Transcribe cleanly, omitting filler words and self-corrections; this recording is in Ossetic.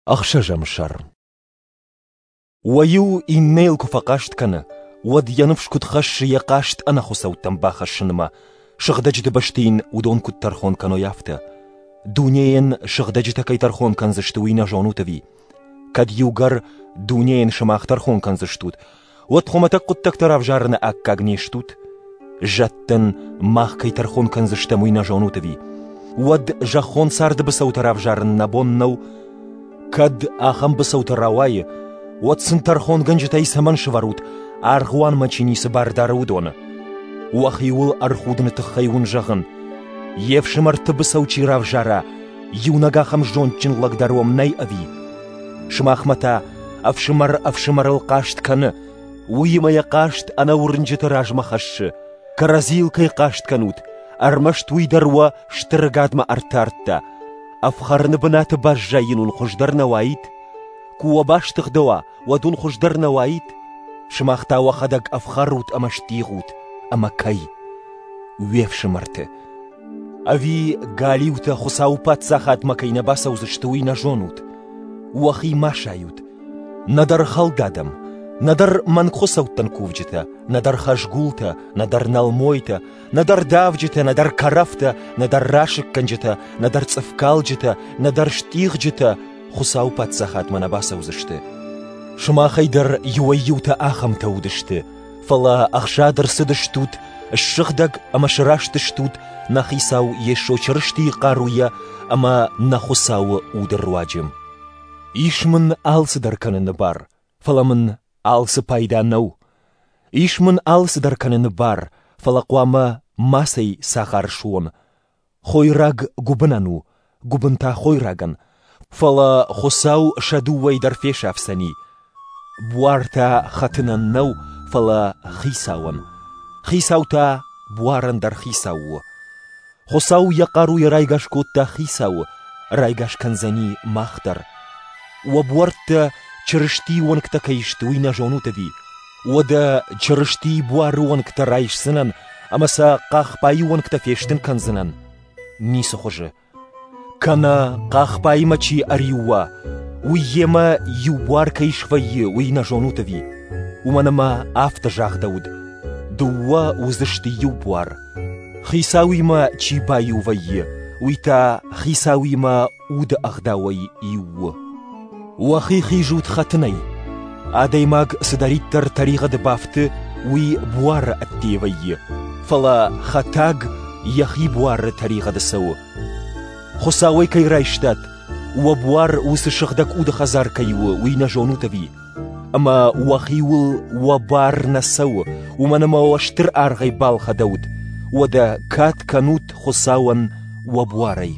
Ӕхсӕзӕм сӕр. Уӕ иу иннӕйыл куы фӕхъаст кӕны, уӕд йӕ ныфс куыд хӕссы йӕ хъаст ӕнӕхуыцӕуттӕм бахӕссынмӕ, сыгъдӕджыты бӕсты йын уыдон куыд тӕрхон кӕной, афтӕ. Дунейӕн сыгъдӕджытӕ кӕй тӕрхон кӕндзысты, уый нӕ зонут ӕви? Кӕд иугӕр дунейӕн сымах тӕрхон кӕндзыстут, уӕд хуымӕтӕг хъуыддӕгтӕ равзарыны аккаг не стут? Зӕдтӕн мах кӕй тӕрхон кӕндзыстӕм, уый нӕ зонут ӕви? Уӕд зӕххон царды быцӕутӕ равзарын нӕ бон нӕу? Кӕд ахӕм быцӕутӕ рауайы, уӕд сын тӕрхонгӕнджытӕй цӕмӕн сӕвӕрут, аргъуанмӕ чи ницы бар дары, уыдоны? Уӕхиуыл ӕрхудыны тыххӕй уын зӕгъын, йе фсымӕрты быцӕу чи равзара, иунӕг ахӕм зондджын лӕг дӕр уӕм нӕй ӕви? Сымахмӕ та ӕфсымӕр ӕфсымӕрыл хъаст кӕны, уыимӕ йӕ хъаст ӕнӕуырнджыты размӕ хӕссы. Кӕрӕдзийыл кӕй хъаст кӕнут, ӕрмӕст уый дӕр уӕ стыр ӕгадмӕ ӕртардта. Ӕфхӕрыны бынаты баззайын уын хуыздӕр нӕ уаид? Куы уӕ бастыгъдӕуа, уӕд уын хуыздӕр нӕ уаид? Сымах та уӕхӕдӕг ӕфхӕрут ӕмӕ стигъут, ӕмӕ кӕй? Уе фсымӕрты. Ӕви галиутӕ Хуыцауы паддзахадмӕ кӕй нӕ бацӕудзысты, уый нӕ зонут? Уӕхи ма сайут. Нӕдӕр хӕлд адӕм, нӕдӕр мӕнгхуыцӕуттӕн кувджытӕ, нӕдӕр хӕзгултӕ, нӕдӕр нӕлмойтӕ, нӕдӕр давджытӕ, нӕдӕр кӕрӕфтӕ, нӕдӕр расыггӕнджытӕ, нӕдӕр цъыфкалджытӕ, нӕдӕр стъигъджытӕ Хуыцауы паддзахадмӕ нӕ бацӕудзысты. Сымахӕй дӕр иуӕй-иутӕ ахӕмтӕ уыдысты, фӕлӕ ӕхсад ӕрцыдыстут, ссыгъдӕг ӕмӕ сырӕзтыстут нӕ Хицау Йесо Чырыстийы хъаруйӕ ӕмӕ нӕ Хуыцауы Уды руаджы. Ис мын алцыдӕр кӕныны бар, фӕлӕ мын алцы пайда нӕу. Ис мын алцыдӕр кӕныны бар, фӕлӕ хъуамӕ мацӕй цагъар суон. Хойраг гуыбынӕн у, гуыбын та хойрагӕн, фӕлӕ Хуыцау сӕ дыууӕйы дӕр фесафдзӕни. Буар та хӕтынӕн нӕу, фӕлӕ хицауӕн. Хицау та буарӕн дӕр хицау у. Хуыцау йӕ хъаруйӕ райгас кодта хицауы, райгас кӕндзӕни мах дӕр. Уӕ буӕрттӕ Чырыстийы уӕнгтӕ кӕй сты, уый нӕ зонут ӕви? Уӕдӕ Чырыстийы буары уӕнгтӕ райсдзынӕн ӕмӕ сӕ хъахбайы уӕнгтӕ фестын кӕндзынӕн? Ницы хуызы. Кӕнӕ хъахбаимӕ чи ӕриу уа, уый йемӕ иу буар кӕй свӕййы, уый нӕ зонут ӕви? Уымӕн ӕмӕ афтӕ загъдӕуыд: дыууӕ уыдзысты иу буар. Хицауимӕ чи баиу вӕййы, уый та хицауимӕ уды ӕгъдауӕй иу у. Уӕхи хизут хӕтынӕй. Адӕймаг цыдӕриддӕр тӕригъӕды бафты, уый буары ӕдде вӕййы, фӕлӕ хӕтаг йӕхи буары тӕригъӕды цӕуы. Хуыцауӕй кӕй райстат, уӕ буар уыцы сыгъдӕг уды хӕдзар кӕй у, уый нӕ зонут ӕви? Ӕмӕ уӕхиуыл уӕ бар нӕ цӕуы, уымӕн ӕмӕ уӕ стыр аргъӕй балхӕдӕуыд. Уӕдӕ кад кӕнут Хуыцауӕн уӕ буарӕй.